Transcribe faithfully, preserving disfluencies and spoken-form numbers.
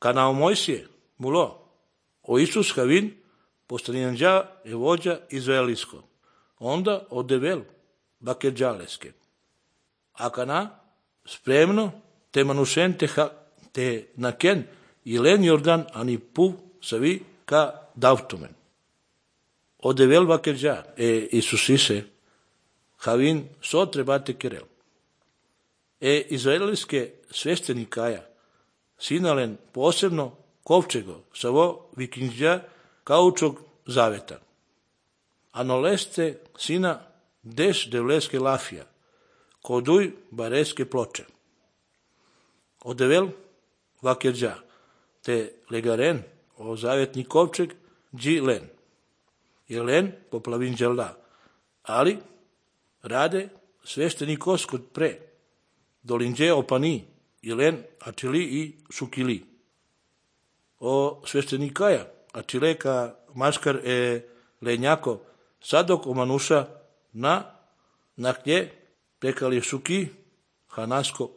Canao Mojsije, mulo, o Isus Havin, postaninđa je vođa izraelijsko. Onda odevel bakedžaleske. A kana spremno te manušen te, ha, te naken i len Jordan ani pu savi ka davtumen. Odevel bakedža e Isusise Havin so trebate kerel. E izraelijske sveštenikaja sinalen posebno kovčego savo vikinđa kaučog zaveta. Anoleste sina deš devleske lafija, koduj bareske ploče. Odevel vakedža, te legaren o zavetni kovčeg dži len. Je len poplavin dželda, ali rade svešteni kos kod pre, dolinđe opani, je len ačili i šukili. O sveštenikaja, ačile ka maškar e lenjako, sadok omanuša na naknje pekali šuki hanasko